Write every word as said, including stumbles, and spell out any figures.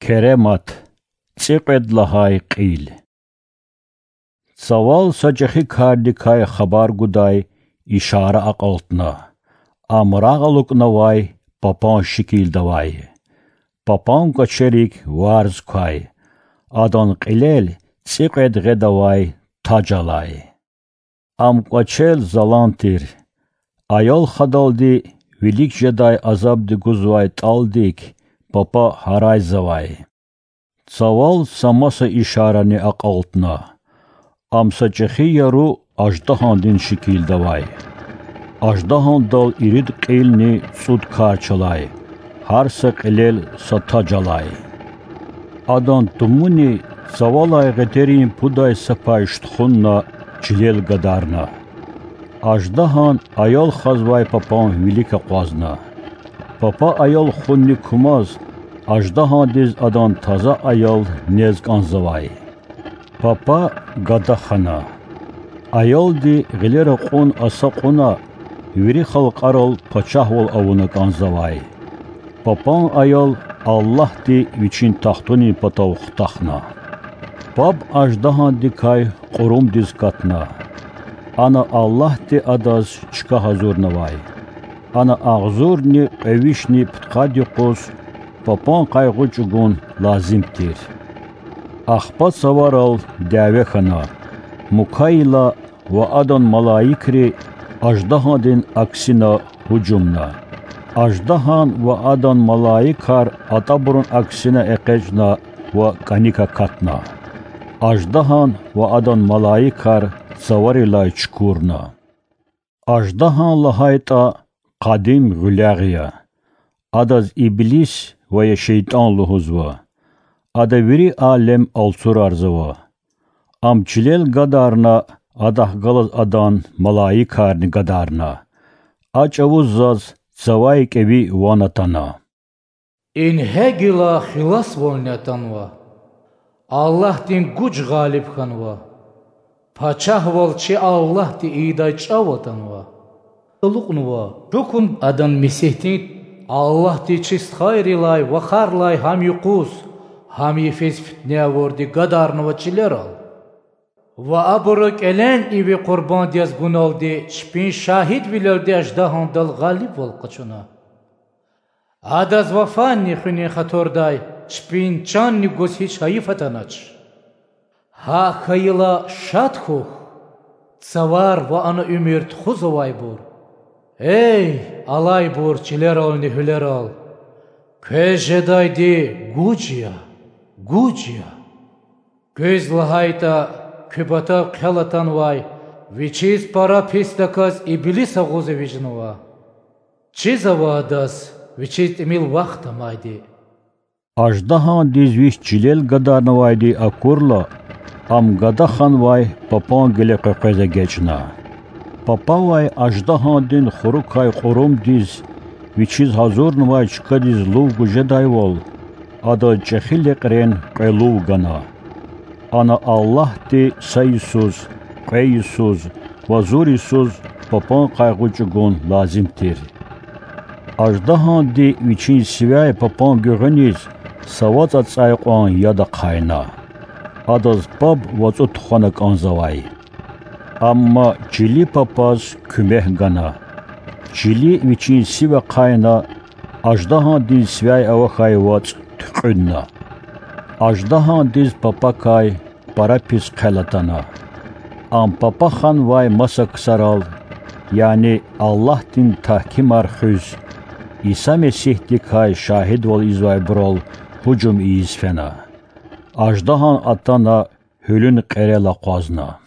Керемат, цӀикьвед лагьай кьил. Цавал са чӀехи кардикай хабар гудай ишара акьалтна. Ам рагъ алукӀнавай папан шикилда авай. Папан кӀвачерик варз квай. Адан кьилел цӀикьвед гъед авай таж алай. Ам кӀвачел залан тир. Аял хадалди вилик жедай азабди гузвай тӀалдик папа гьарайзавай. Цавал са маса ишарани акьалтна. Ам са чӀехи яру аждагьандин шикилда авай. Аждагьандал ирид кьилни цӀуд карч алай, гьар са кьилел са таж алай. Адан тумуни цавалай гъетерин пудай са пай штхунна чилел гадарна. Аждагьан аял хазвай папан вилик акъвазна. Папа аял хунни кумаз, аждагьандиз адан таза аял нез кӀанзавай. Папа гада хана. Аялди гъилера кьун аса кьуна, вири халкьарал пачагьвал авуна кӀанзавай. Папан аял Аллагьди Вичин тахтунин патав хутахна. Паб аждагьандикай кьурумдиз катна. Ана Аллагьди адаз чка гьазурнавай. Ана агъзурни кьве вишни пудкъад юкъуз папан къайгъу чӀугун лазим тир. Ахпа цаварал дяве хьана, мукайила ва адан малаикри аждагьандин аксина гьужумна. Аждагьан ва адан малаикар атӀабурун аксина экъечӀна ва кӀаник акатна. Аждагьан ва адан малаикар цаварилай чукурна. Аждагьан лагьайтӀа къадим гъуьлягъ я. Адаз иблис ва я шейтӀан лугьузва. Ада вири алем алцурарзава. Ам чилел гадарна, адахъ галаз адан малаикарни гадарна. А чӀавуз заз цавай кӀеви ван атана. Ингье гила хиласвални атанва. Аллагьдин гуж гъалиб хьанва. Пачагьвал чи Аллагьди ийидай чӀав атанва. Алукьнава, чукун адан Месигьдин, Аллагьди чи стхайрилай, вахарлай гьам юкъуз, гьам йифиз фитне авурди гадарнава чилерал. Ва абуру кӀелен иви къурбанд яз гуналди чпин шагьидвилелди аждагьандал гъалибвал къачуна. Адаз ва фанни хуьнин хатурдай чпин чанни гуз гьич гьайиф атанач. ГьакӀ хьайила шад хьухь, цавар ва ана уьмуьр тухузвайбур. Эй, алайбур чилерални гьуьлерал! Квез жедайди гуж я, гуж я! Куьз лагьайтӀа, куь патав хъел атанвай, вичиз пара писдаказ иблис агъуз эвичӀнава. Чизава адаз вичиз тӀимил вахт амайди. Аждагьандиз вич чилел гадарнавайди акурла, ам гада ханвай папан гъиле къекъвез эгечӀна. Папавай аждагьандин хурукай кьурумдиз, вичиз гьазурнавай чкадиз лув гуз жедайвал, адаз чӀехи лекьрен кьве лув гана. Ана Аллагьди са йисуз, кьве йисуз ва зур йисуз папан къайгъу чӀугун лазим тир. Аждагьанди вичин сивяй папан гуьгъуьниз са вацӀа цӀай кьван яд ахъайна. Адаз паб вацӀу тухвана кӀанзавай. Амма чили папаз куьмек гана. Чили вичин сив ахъайна, аждагьандин сивяй авахьай вацӀ туькьуьдна. Аждагьандиз папакай пара пис хъел атана. Ам папа ханвай маса ксарал, яни Аллагьдин тагькимар хуьз, Иса Месигьдикай шагьидвал ийизвайбурал гьужум ийиз фена. Аждагьан атана, гьуьлуьн кьерел акъвазна.